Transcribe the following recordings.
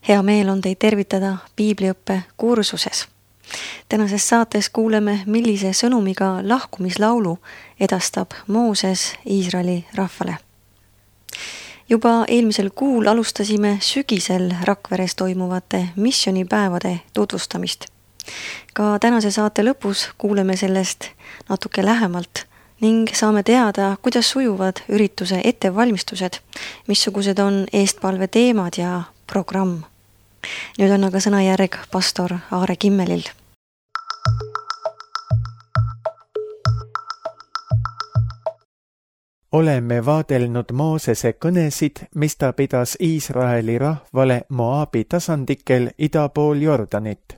Hea meel on teid tervitada piibliõppe kursuses. Tänases saates kuuleme, millise sõnumiga lahkumislaulu edastab Mooses Iisraeli rahvale. Juba eelmisel kuul alustasime sügisel Rakveres toimuvate missioonipäevade tutvustamist. Ka tänase saate lõpus kuuleme sellest natuke lähemalt ning saame teada, kuidas sujuvad ürituse ettevalmistused, missugused on eestpalve teemad ja programm. Nüüd on aga sõnajärg pastor Aare Kimmelil. Oleme vaadelnud Moosese kõnesid, mis ta pidas Iisraeli rahvale Moabi tasandikel ida pool Jordanit.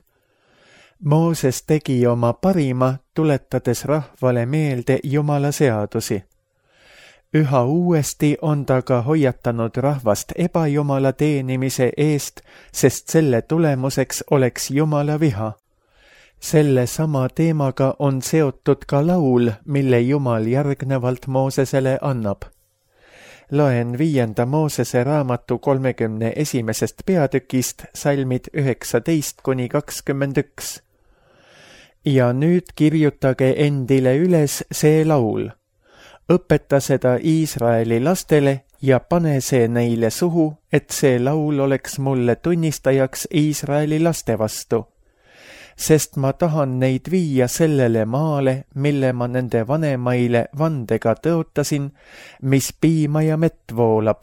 Mooses tegi oma parima, tuletades rahvale meelde Jumala seadusi. Üha uuesti on ta ka hoiatanud rahvast ebajumala teenimise eest, sest selle tulemuseks oleks Jumala viha. Selle sama teemaga on seotud ka laul, mille Jumal järgnevalt Moosesele annab. Loen 5. Moosese raamatu 31. peatükist salmid 19-21. Ja nüüd kirjutage endile üles see laul. Õpeta seda Iisraeli lastele ja pane see neile suhu, et see laul oleks mulle tunnistajaks Iisraeli laste vastu. Sest ma tahan neid viia sellele maale, mille ma nende vanemaile vandega tõotasin, mis piima ja mett voolab.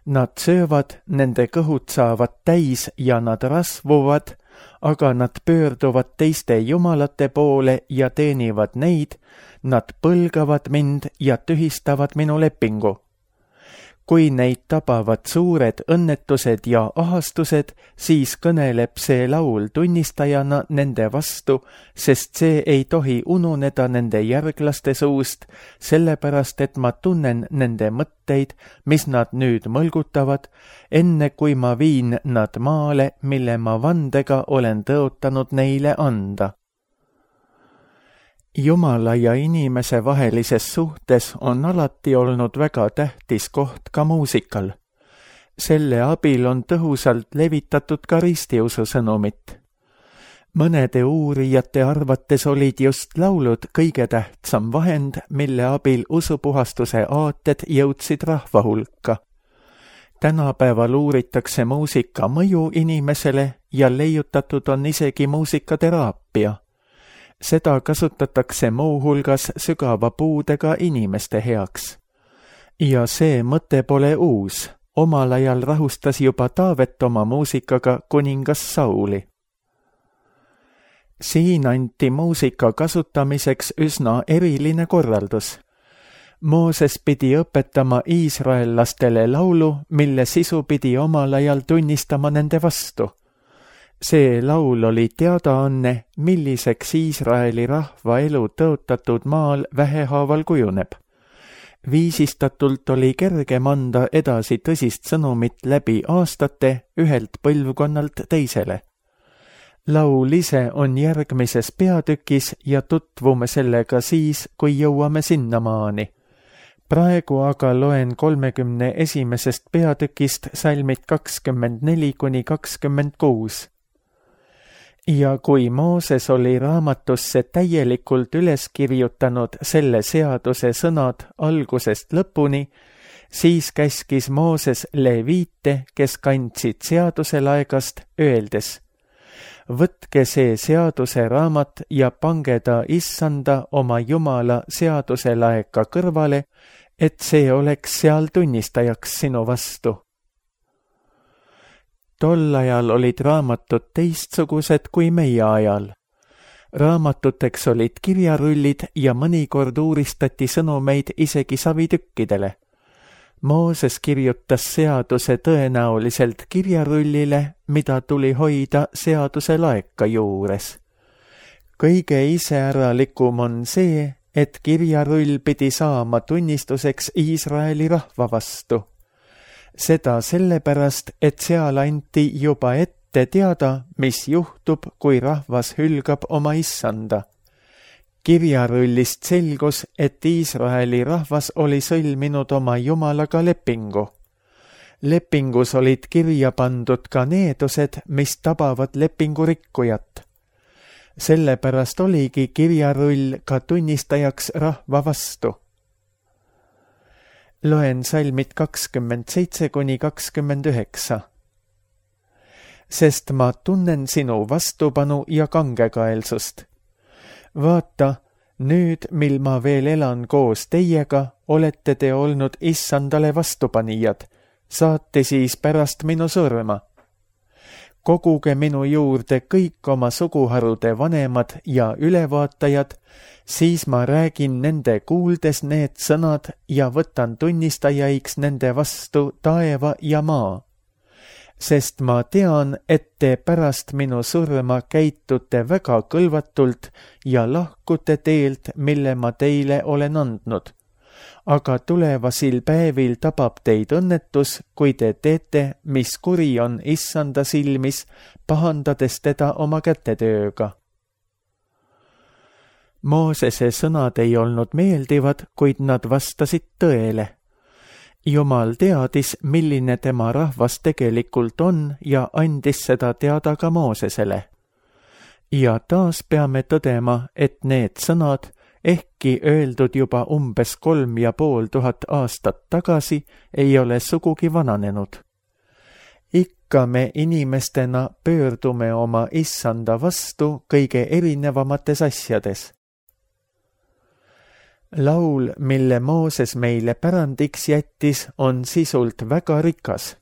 Nad söövad, nende kõhud saavad täis ja nad rasvuvad, aga nad pöörduvad teiste jumalate poole ja teenivad neid, nad põlgavad mind ja tühistavad minu lepingu. Kui neid tabavad suured õnnetused ja ahastused, siis kõneleb see laul tunnistajana nende vastu, sest see ei tohi ununeda nende järglaste suust, sellepärast et ma tunnen nende mõtteid, mis nad nüüd mõlgutavad, enne kui ma viin nad maale, mille ma vandega olen tõotanud neile anda. Jumala ja inimese vahelises suhtes on alati olnud väga tähtis koht ka muusikal. Selle abil on tõhusalt levitatud ka ristiusu sõnumit. Mõnede uurijate arvates olid just laulud kõige tähtsam vahend, mille abil usupuhastuse aated jõudsid rahva hulka. Tänapäeval uuritakse muusika mõju inimesele ja leiutatud on isegi muusikateraapia. Seda kasutatakse muuhulgas sügava puudega inimeste heaks. Ja see mõte pole uus. Omal ajal rahustas juba Taavet oma muusikaga kuningas Sauli. Siin anti muusika kasutamiseks üsna eriline korraldus. Mooses pidi õpetama iisraellastele laulu, mille sisu pidi omal ajal tunnistama nende vastu. See laul oli teadaanne, milliseks Iisraeli rahva elu tõotatud maal vähehaaval kujuneb. Viisistatult oli kergem anda edasi tõsist sõnumit läbi aastate ühelt põlvkonnalt teisele. Laul ise on järgmises peatükis ja tutvume sellega siis, kui jõuame sinnamaani. Praegu aga loen 31. peatükist salmid 24-26. Ja kui Mooses oli raamatusse täielikult üles kirjutanud selle seaduse sõnad algusest lõpuni, siis käskis Mooses leviite, kes kandsid seaduse laegast, öeldes: Võtke see seaduse raamat ja pange ta Issanda oma Jumala seaduse laeka kõrvale, et see oleks seal tunnistajaks sinu vastu. Tol ajal olid raamatud teistsugused kui meie ajal. Raamatuteks olid kirjarullid ja mõnikord uuristati sõnumeid isegi savitükkidele. Mooses kirjutas seaduse tõenäoliselt kirjarullile, mida tuli hoida seaduse laeka juures. Kõige iseäralikum on see, et kirjarull pidi saama tunnistuseks Iisraeli rahva vastu. Seda sellepärast, et seal anti juba ette teada, mis juhtub, kui rahvas hülgab oma Issanda. Kirjarullist selgus, et Iisraeli rahvas oli sõlminud oma Jumalaga lepingu. Lepingus olid kirja pandud ka needused, mis tabavad lepingu rikkujat. Sellepärast oligi kirjarull ka tunnistajaks rahva vastu. Loen salmid 27–29. Sest ma tunnen sinu vastupanu ja kangekaelsust. Vaata, nüüd, mil ma veel elan koos teiega, olete te olnud issandale vastupanijad, saate siis pärast minu surma. Koguge minu juurde kõik oma suguharude vanemad ja ülevaatajad, siis ma räägin nende kuuldes need sõnad ja võtan tunnistajaiks nende vastu taeva ja maa. Sest ma tean, et te pärast minu surma käitute väga kõlvatult ja lahkute teelt, mille ma teile olen andnud. Aga tulevasil päevil tabab teid õnnetus, kui te teete, mis kuri on issanda silmis, pahandades teda oma kätetööga. Moosese sõnad ei olnud meeldivad, kuid nad vastasid tõele. Jumal teadis, milline tema rahvas tegelikult on ja andis seda teada ka Moosesele. Ja taas peame tõdema, et need sõnad, ehkki öeldud juba umbes 3500 aastat tagasi, ei ole sugugi vananenud. Ikka me inimestena pöördume oma issanda vastu kõige erinevamates asjades. Laul, mille Mooses meile pärandiks jättis, on sisult väga rikas.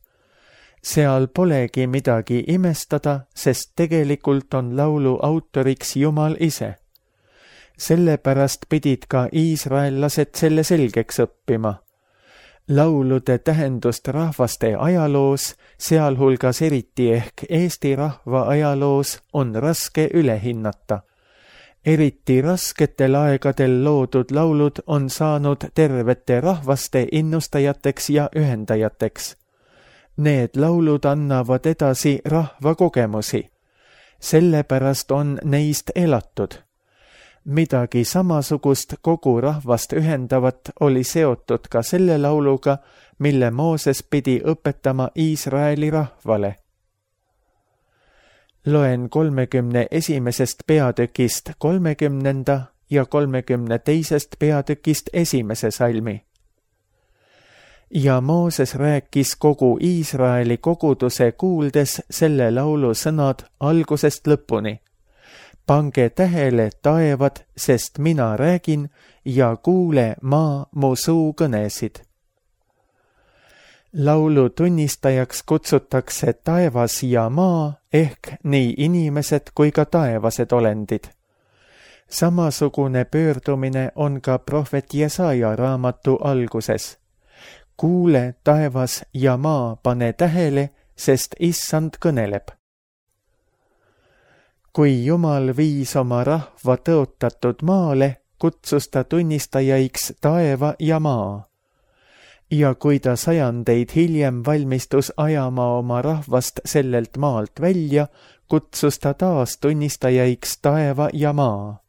Seal polegi midagi imestada, sest tegelikult on laulu autoriks Jumal ise. Sellepärast pidid ka iisraellased selle selgeks õppima. Laulude tähendust rahvaste ajaloos, sealhulgas eriti ehk Eesti rahva ajaloos, on raske üle hinnata. Eriti rasketel aegadel loodud laulud on saanud tervete rahvaste innustajateks ja ühendajateks. Need laulud annavad edasi rahva kogemusi. Sellepärast on neist elatud. Midagi samasugust kogu rahvast ühendavat oli seotud ka selle lauluga, mille Mooses pidi õpetama Iisraeli rahvale. Loen 31. peatükist 30. ja 32. peatükist 1. salmi. Ja Mooses rääkis kogu Iisraeli koguduse kuuldes selle laulu sõnad algusest lõpuni. Pange tähele, taevad, sest mina räägin ja kuule maa mu suu kõnesid. Laulu tunnistajaks kutsutakse taevas ja maa ehk nii inimesed kui ka taevased olendid. Samasugune pöördumine on ka prohvet Jesaja raamatu alguses. Kuule, taevas ja maa, pane tähele, sest issand kõneleb. Kui Jumal viis oma rahva tõotatud maale, kutsus ta tunnistajaiks taeva ja maa. Ja kui ta sajandeid hiljem valmistus ajama oma rahvast sellelt maalt välja, kutsus ta taas tunnistajaiks taeva ja maa.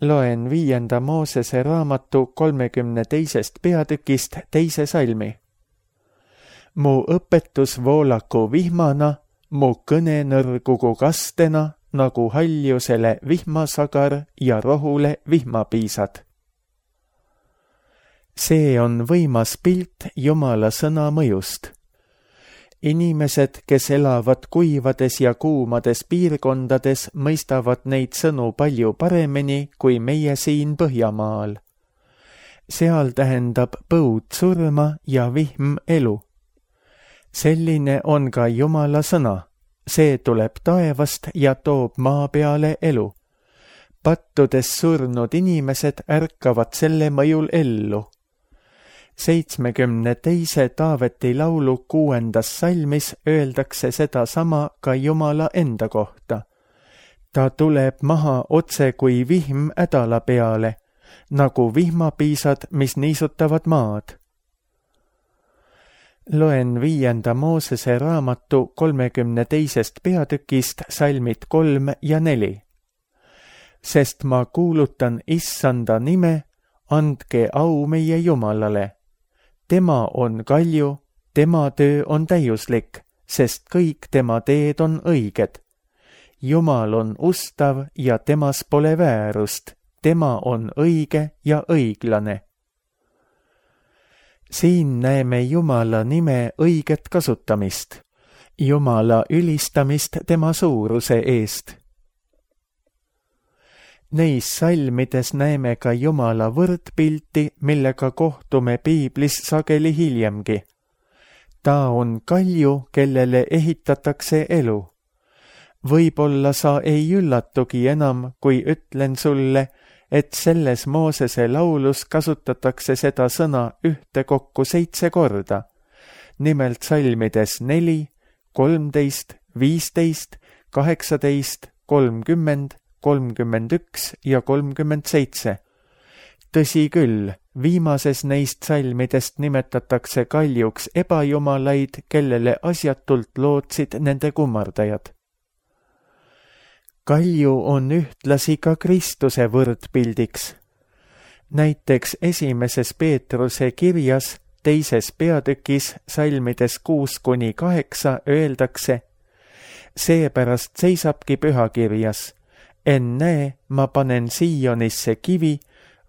Loen 5. Moosese raamatu 32. peatükist 2. salmi. Mu õpetus voolaku vihmana, mu kõne nõrgugu kastena, nagu haljusele vihmasagar ja rohule vihmapiisad. See on võimas pilt Jumala sõna mõjust. Inimesed, kes elavad kuivades ja kuumades piirkondades, mõistavad neid sõnu palju paremini kui meie siin Põhjamaal. Seal tähendab põud surma ja vihm elu. Selline on ka Jumala sõna. See tuleb taevast ja toob maa peale elu. Pattudes surnud inimesed ärkavad selle mõjul ellu. 72. Taaveti laulu 6. salmis öeldakse seda sama ka Jumala enda kohta. Ta tuleb maha otse kui vihm ädala peale, nagu vihmapiisad, mis niisutavad maad. Loen 5. Moosese raamatu 32. peatükist salmid 3 ja 4. Sest ma kuulutan issanda nime, andke au meie Jumalale. Tema on kalju, tema töö on täiuslik, sest kõik tema teed on õiged. Jumal on ustav ja temas pole väärust, tema on õige ja õiglane. Siin näeme Jumala nime õiget kasutamist, Jumala ülistamist tema suuruse eest. Neis salmides näeme ka Jumala võrdpilti, millega kohtume piiblis sageli hiljemgi. Ta on kalju, kellele ehitatakse elu. Võib-olla sa ei üllatugi enam, kui ütlen sulle, et selles Moosese laulus kasutatakse seda sõna ühtekokku 7 korda, nimelt salmides 4, 13, 15, 18, 30, 31 ja 37. Tõsi küll, viimases neist salmidest nimetatakse kaljuks ebajumalaid, kellele asjatult lootsid nende kummardajad. Kalju on ühtlasi ka Kristuse võrdpildiks. Näiteks 1. Peetruse kirjas 2. peatükis salmides 6-8 öeldakse: seepärast seisabki pühakirjas: ennäe, ma panen Siionisse kivi,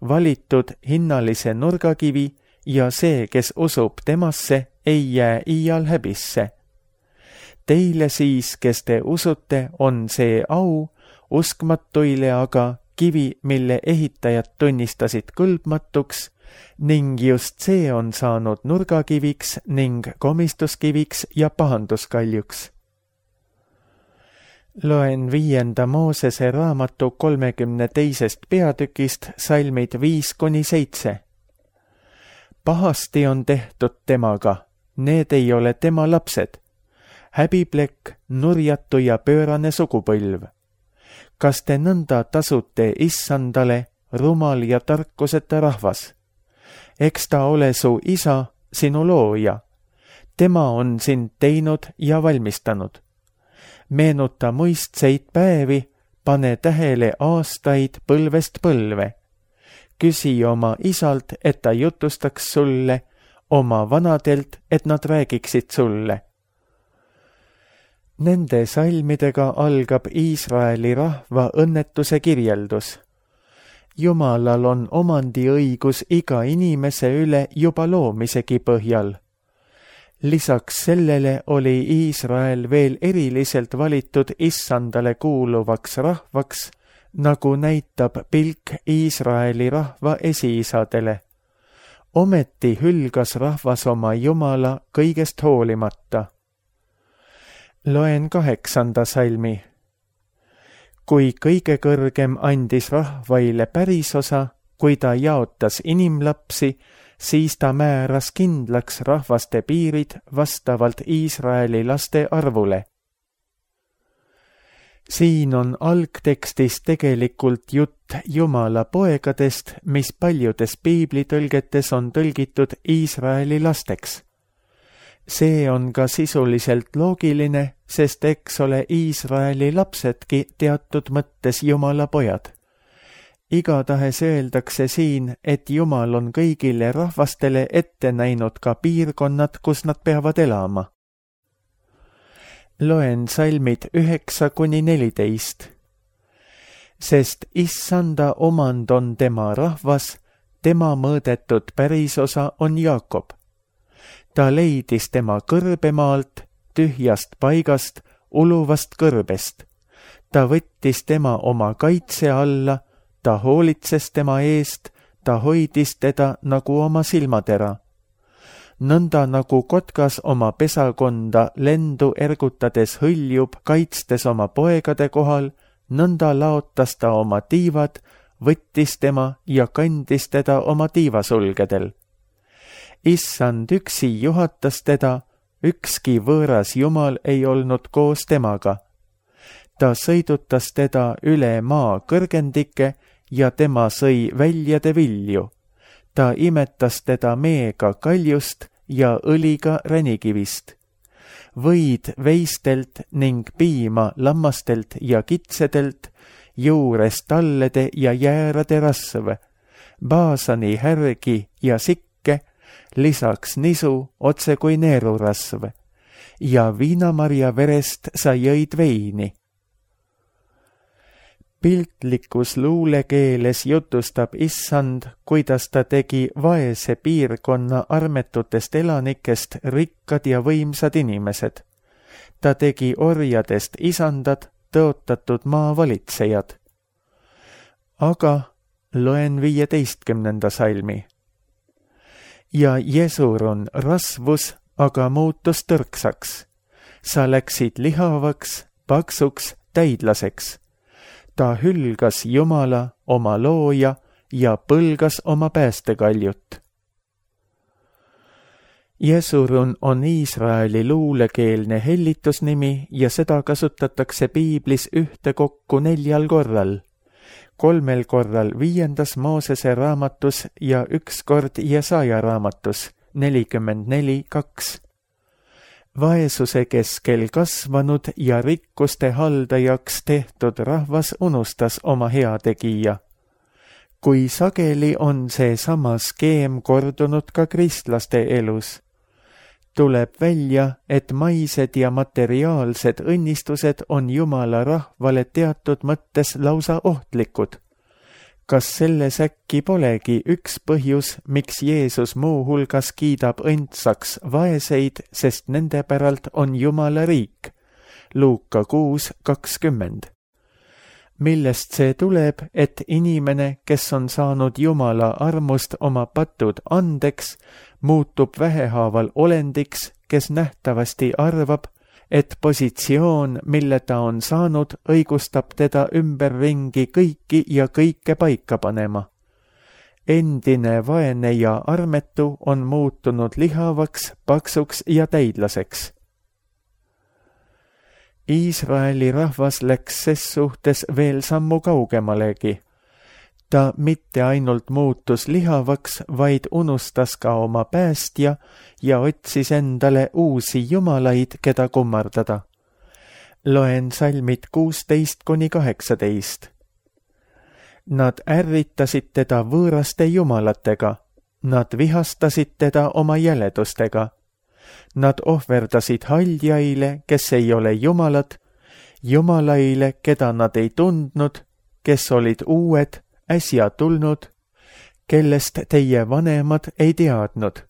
valitud hinnalise nurgakivi, ja see, kes usub temasse, ei jää iial häbisse. Teile siis, kes te usute, on see au, uskmatuile aga kivi, mille ehitajad tunnistasid kõlbmatuks, ning just see on saanud nurgakiviks ning komistuskiviks ja pahanduskaljuks. Loen 5. Moosese raamatu 32. peatükist salmid 5-7. Pahasti on tehtud temaga, need ei ole tema lapsed. Häbiplekk, nurjatu ja pöörane sugupõlv. Kas te nõnda tasute issandale, rumal ja tarkuseta rahvas? Eks ta ole su isa, sinu looja. Tema on sind teinud ja valmistanud. Meenuta muistseid päevi, pane tähele aastaid põlvest põlve. Küsi oma isalt, et ta jutustaks sulle, oma vanadelt, et nad räägiksid sulle. Nende salmidega algab Iisraeli rahva õnnetuse kirjeldus. Jumalal on omandiõigus iga inimese üle juba loomisegi põhjal. Lisaks sellele oli Iisrael veel eriliselt valitud issandale kuuluvaks rahvaks, nagu näitab pilk Iisraeli rahva esiisadele. Ometi hülgas rahvas oma Jumala kõigest hoolimata. Loen 8. salmi. Kui kõige kõrgem andis rahvaile pärisosa, kui ta jaotas inimlapsi, siis ta määras kindlaks rahvaste piirid vastavalt Iisraeli laste arvule. Siin on algtekstis tegelikult jutt Jumala poegadest, mis paljudes piiblitõlgetes on tõlgitud Iisraeli lasteks. See on ka sisuliselt loogiline, sest eks ole Iisraeli lapsedki teatud mõttes Jumala pojad. Igatahes öeldakse siin, et Jumal on kõigile rahvastele ette näinud ka piirkonnad, kus nad peavad elama. Loen salmid 9-14. Sest issanda omand on tema rahvas, tema mõõdetud pärisosa on Jaakob. Ta leidis tema kõrbemaalt, tühjast paigast, uluvast kõrbest. Ta võttis tema oma kaitse alla, ta hoolitses tema eest, ta hoidis teda nagu oma silmatera. Nõnda nagu kotkas oma pesakonda lendu ergutades hõljub, kaitstes oma poegade kohal, nõnda laotas ta oma tiivad, võttis tema ja kandis teda oma tiivasulgedel. Issand üksi juhatas teda, ükski võõras Jumal ei olnud koos temaga. Ta sõidutas teda üle maa kõrgendike ja tema sõi väljade vilju. Ta imetas teda meega kaljust ja õliga ränikivist. Võid veistelt ning piima lammastelt ja kitsedelt, juures tallede ja jäärade rasv, baasani härgi ja sikke, lisaks nisu otse kui neerurasv ja viinamarja verest sa jõid veini. Piltlikus luulekeeles jutustab Issand, kuidas ta tegi vaese piirkonna armetutest elanikest rikkad ja võimsad inimesed. Ta tegi orjadest isandad, tõotatud maavalitsejad. Aga loen 15. salmi. Ja Jesurun rasvus aga muutus tõrksaks. Sa läksid lihavaks, paksuks, täidlaseks. Ta hülgas Jumala, oma looja, ja põlgas oma päästekaljut. Jesurun on Iisraeli luulekeelne hellitusnimi ja seda kasutatakse Piiblis ühtekokku 4 korral. 3 korral 5. Moosese raamatus ja 1 kord Jesaja raamatus 44:2. Vaesuse keskel kasvanud ja rikkuste haldajaks tehtud rahvas unustas oma heategija. Kui sageli on see sama skeem kordunud ka kristlaste elus. Tuleb välja, et maised ja materiaalsed õnnistused on Jumala rahvale teatud mõttes lausa ohtlikud. Kas selles äkki polegi üks põhjus, miks Jeesus muu hulgas kiidab õndsaks vaeseid, sest nende päralt on Jumala riik? Luuka 6:20. Millest see tuleb, et inimene, kes on saanud Jumala armust oma patud andeks, muutub vähehaaval olendiks, kes nähtavasti arvab, et positsioon, mille ta on saanud, õigustab teda ümberringi kõiki ja kõike paika panema. Endine vaene ja armetu on muutunud lihavaks, paksuks ja täidlaseks. Iisraeli rahvas läks ses suhtes veel sammu kaugemalegi. Ta mitte ainult muutus lihavaks, vaid unustas ka oma päästja ja otsis endale uusi jumalaid, keda kummardada. Loen salmid 16-18. Nad ärritasid teda võõraste jumalatega, nad vihastasid teda oma jäledustega. Nad ohverdasid haldjaile, kes ei ole jumalad, jumalaile, keda nad ei tundnud, kes olid uued, äsja tulnud, kellest teie vanemad ei teadnud.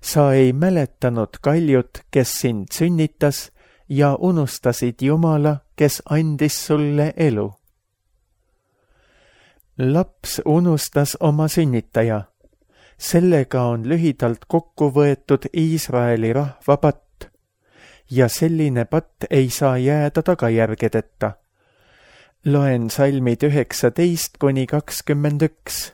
Sa ei mäletanud kaljut, kes sind sünnitas, ja unustasid Jumala, kes andis sulle elu. Laps unustas oma sünnitaja. Sellega on lühidalt kokku võetud Iisraeli rahva patt. Ja selline patt ei saa jääda tagajärgedeta. Loen salmid 19-21.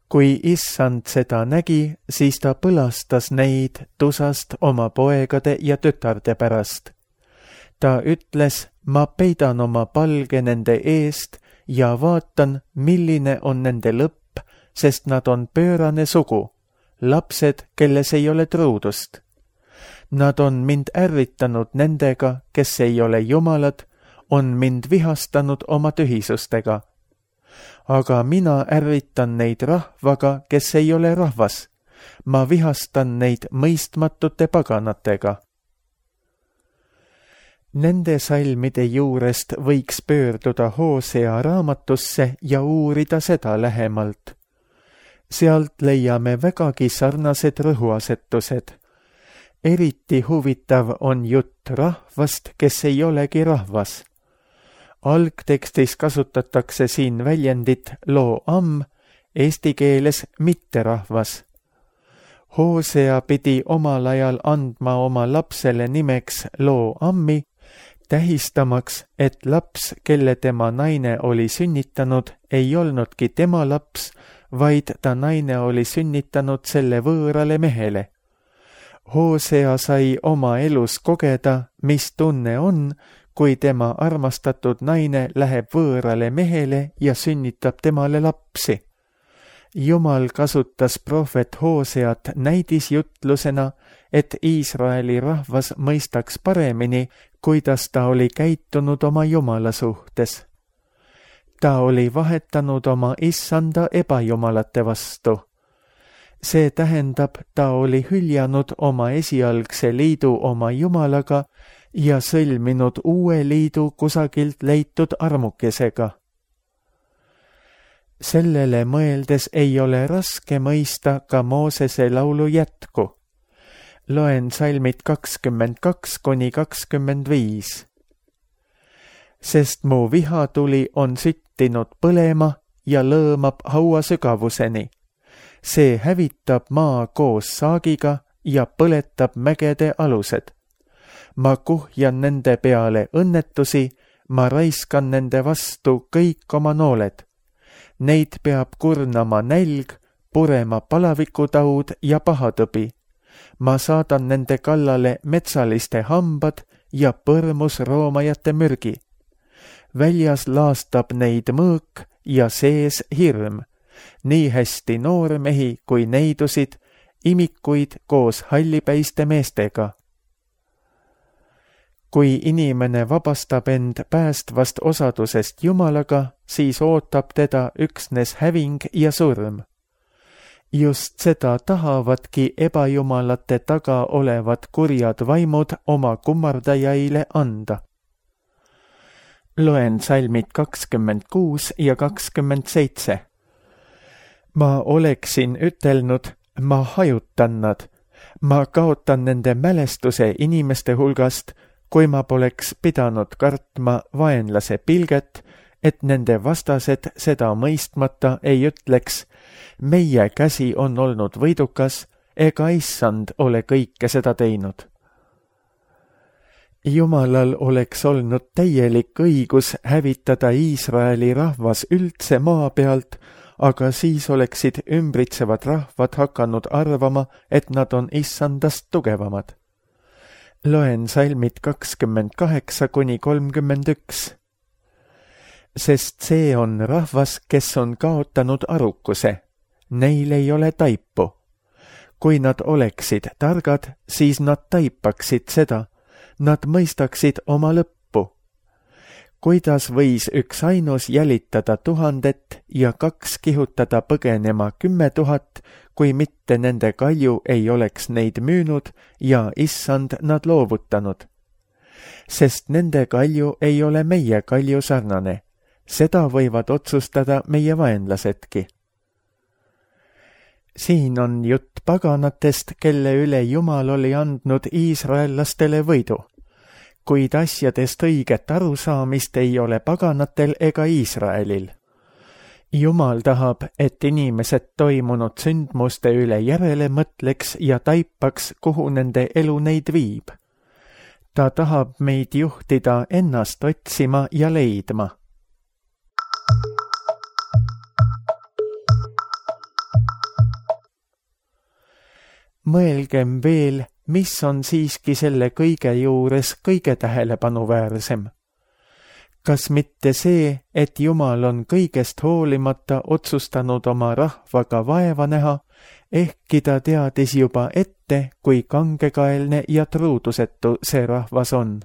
Kui Issand seda nägi, siis ta põlastas neid tusast oma poegade ja tütarde pärast. Ta ütles, ma peidan oma palge nende eest ja vaatan, milline on nende lõpp, sest nad on pöörane sugu, lapsed, kelles ei ole truudust. Nad on mind ärritanud nendega, kes ei ole jumalad, on mind vihastanud oma tühisustega. Aga mina ärritan neid rahvaga, kes ei ole rahvas. Ma vihastan neid mõistmatute paganatega. Nende salmide juurest võiks pöörduda Hosea raamatusse ja uurida seda lähemalt. Sealt leiame vägagi sarnased rõhuasetused. Eriti huvitav on jutt rahvast, kes ei olegi rahvas. Algtekstis kasutatakse siin väljendit lo-am, eesti keeles mitterahvas. Hosea pidi omal ajal andma oma lapsele nimeks lo-ammi, tähistamaks, et laps, kelle tema naine oli sünnitanud, ei olnudki tema laps, vaid ta naine oli sünnitanud selle võõrale mehele. Hosea sai oma elus kogeda, mis tunne on, kui tema armastatud naine läheb võõrale mehele ja sünnitab temale lapsi. Jumal kasutas prohvet Hoseat näidisjutlusena, et Iisraeli rahvas mõistaks paremini, kuidas ta oli käitunud oma Jumala suhtes. Ta oli vahetanud oma issanda ebajumalate vastu. See tähendab, ta oli hüljanud oma esialgse liidu oma Jumalaga ja sõlminud uue liidu kusagilt leitud armukesega. Sellele mõeldes ei ole raske mõista ka Moosese laulu jätku. Loen salmid 22–25. Sest mu vihatuli on süttinud põlema ja lõõmab haua sügavuseni. See hävitab maa koos saagiga ja põletab mägede alused. Ma kuhjan nende peale õnnetusi, ma raiskan nende vastu kõik oma nooled. Neid peab kurnama nälg, purema palavikutaud ja pahatõbi. Ma saadan nende kallale metsaliste hambad ja põrmus roomajate mürgi. Väljas laastab neid mõõk ja sees hirm. Nii hästi noormehi kui neidusid, imikuid koos hallipäiste meestega. Kui inimene vabastab end päästvast osadusest Jumalaga, siis ootab teda üksnes häving ja surm. Just seda tahavadki ebajumalate taga olevad kurjad vaimud oma kummardajaile anda. Loen salmid 26 ja 27. Ma oleksin ütelnud, ma hajutan nad, ma kaotan nende mälestuse inimeste hulgast, kui ma poleks pidanud kartma vaenlase pilget, et nende vastased seda mõistmata ei ütleks, meie käsi on olnud võidukas, ega issand ole kõike seda teinud. Jumalal oleks olnud täielik õigus hävitada Iisraeli rahvas üldse maa pealt, aga siis oleksid ümbritsevad rahvad hakanud arvama, et nad on issandast tugevamad. Loen salmid 28–31. Sest see on rahvas, kes on kaotanud arukuse. Neil ei ole taipu. Kui nad oleksid targad, siis nad taipaksid seda. Nad mõistaksid oma lõppu. Kuidas võis üks ainus jälitada 1000 ja 2 kihutada põgenema 10 000, kui mitte nende kalju ei oleks neid müünud ja issand nad loovutanud? Sest nende kalju ei ole meie kalju sarnane. Seda võivad otsustada meie vaenlasedki. Siin on jutt paganatest, kelle üle Jumal oli andnud iisraellastele võidu. Kuid asjadest õiget arusaamist ei ole paganatel ega Iisraelil. Jumal tahab, et inimesed toimunud sündmuste üle järele mõtleks ja taipaks, kuhu nende elu neid viib. Ta tahab meid juhtida ennast otsima ja leidma. Mõelgem veel, mis on siiski selle kõige juures kõige tähelepanuväärsem. Kas mitte see, et Jumal on kõigest hoolimata otsustanud oma rahvaga vaeva näha, ehkki ta teadis juba ette, kui kangekaelne ja truudusetu see rahvas on.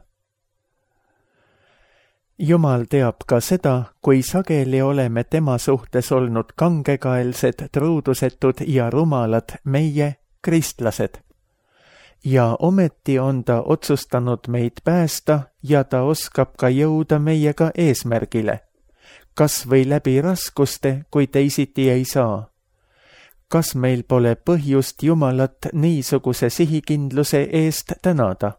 Jumal teab ka seda, kui sageli oleme tema suhtes olnud kangekaelsed, truudusetud ja rumalad meie, kristlased. Ja ometi on ta otsustanud meid päästa ja ta oskab ka jõuda meiega eesmärgile. Kas või läbi raskuste, kui teisiti ei saa. Kas meil pole põhjust Jumalat niisuguse sihikindluse eest tänada?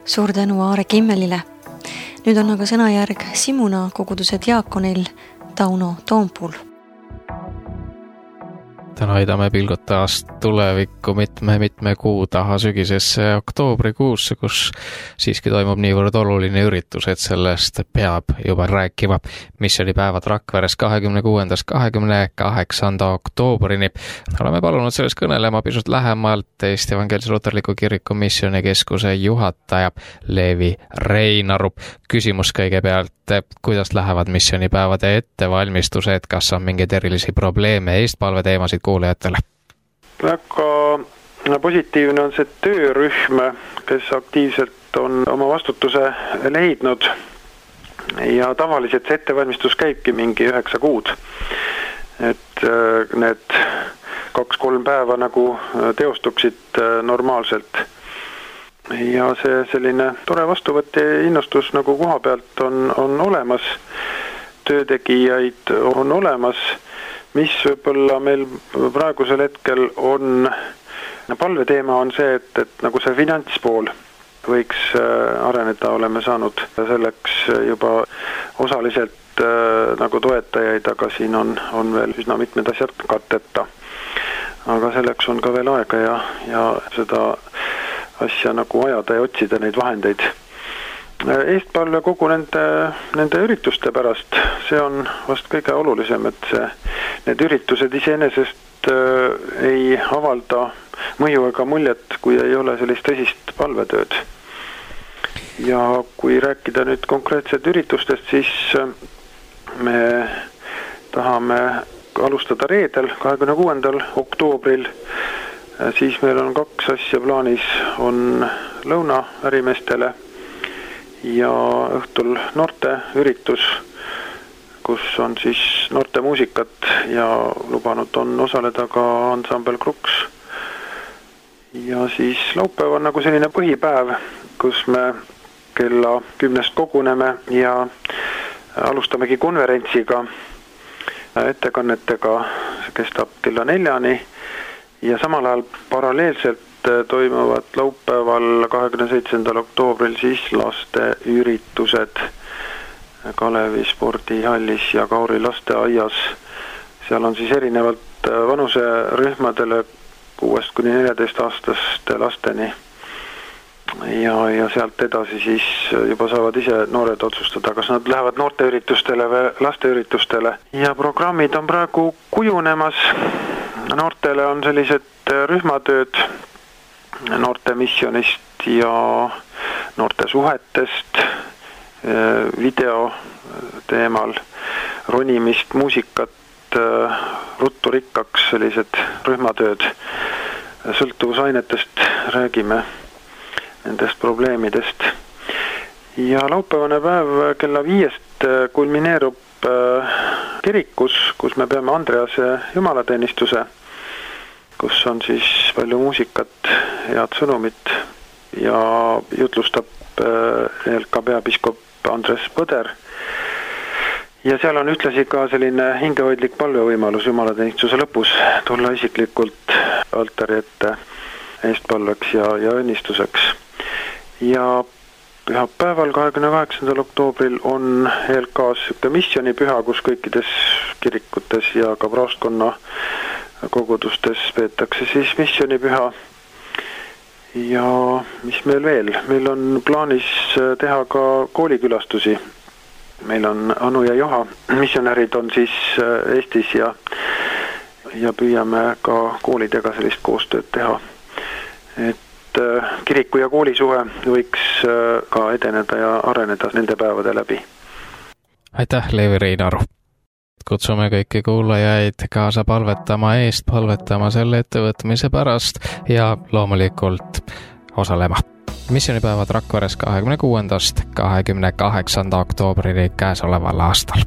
Suur tänu Aare Kimmelile. Nüüd on aga sõnajärg Simuna koguduse diaakonil Tauno Toompuul. Täna aidame pilgud taas tulevikku mitme kuu taha sügisesse oktoobrikuusse, kus siiski toimub niivõrd oluline üritus, et sellest peab juba rääkima. Missioonipäevad Rakveres 26.–28. oktoobrini. Oleme palunud sellest kõnelema pisut lähemalt Eesti Evangeelse Luterliku Kiriku missioonikeskuse juhataja Leevi Reinaru. Küsimus kõigepealt, kuidas lähevad missioonipäevade ettevalmistused, kas on mingeid erilisi probleeme, eestpalve teemasid kuulajatele? väga positiivne on see töörühm, kes aktiivselt on oma vastutuse leidnud ja tavaliselt see ettevalmistus käibki mingi 9 kuud. Et need 2-3 päeva nagu teostuksid normaalselt. Ja see selline tore vastuvõtt ja innustus nagu koha pealt on olemas, töötegijaid on olemas, mis võib-olla meil praegusel hetkel on, palveteema on see, et nagu see finantspool võiks areneda, oleme saanud selleks juba osaliselt nagu toetajaid, aga siin on veel üsna mitmed asjad katteta. Aga selleks on ka veel aega ja seda asja nagu ajada ja otsida neid vahendeid. Eestpalve kogu nende ürituste pärast, see on vast kõige olulisem, et need üritused iseenesest ei avalda mõju ega muljet, kui ei ole sellist tõsist palvetööd. Ja kui rääkida nüüd konkreetselt üritustest, siis me tahame alustada reedel, 26. oktoobril. Siis meil on 2 asja plaanis, on lõuna ärimeestele ja õhtul noorte üritus, kus on siis noorte muusikat ja lubanud on osaleda ka ansambel Kruks. Ja siis laupäev on nagu selline põhipäev, kus me kella 10 koguneme ja alustamegi konverentsiga, ettekannetega, see kestab kella 4 ja samal ajal paralleelselt toimuvad laupäeval 27. oktoobril siis laste üritused Kalevi spordihallis ja Kauri lasteaias. Seal on siis erinevalt vanuserühmadele 6–14-aastaste lasteni ja sealt edasi siis juba saavad ise noored otsustada, kas nad lähevad noorteüritustele või lasteüritustele. Ja programmid on praegu kujunemas. Noortele on sellised rühmatööd noorte missionist ja noorte suhetest, video teemal, ronimist, muusikat, ruttu rikkaks, sellised rühmatööd, sõltuvusainetest räägime, nendest probleemidest. Ja laupäevane päev kella 5 kulmineerub kirikus, kus me peame Andrease jumalateenistuse, kus on siis palju muusikat, head sõnumit ja jutlustab ELK peapiiskop Andres Põder. Ja seal on ühtlasi ka selline hingehoidlik palvevõimalus jumalateenistuse lõpus tulla isiklikult altari ette eestpalveks ja õnnistuseks. Ja pühapäeval 28. oktoobril on ELK-s missionipüha, kus kõikides kirikutes ja ka praostkonna kogudustes peetakse siis missionipüha. Ja mis meil veel? Meil on plaanis teha ka koolikülastusi. Meil on Anu ja Joha missionärid on siis Eestis ja püüame ka koolidega sellist koostööd teha. Et kiriku ja koolisuhe võiks ka edeneda ja areneda nende päevade läbi. Aitäh, Leevi Reinaru! Kutsume kõiki kuulajaid kaasa palvetama eest, palvetama selle ettevõtmise pärast ja loomulikult osalema. Missionipäevad Rakveres 26. 28. oktoobrini käesoleval aastal.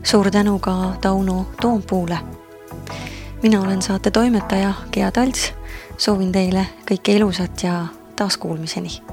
Suur tänu ka Tauno Toompuule. Mina olen saate toimetaja Gea Talts. Soovin teile kõike ilusat ja taaskuulmiseni.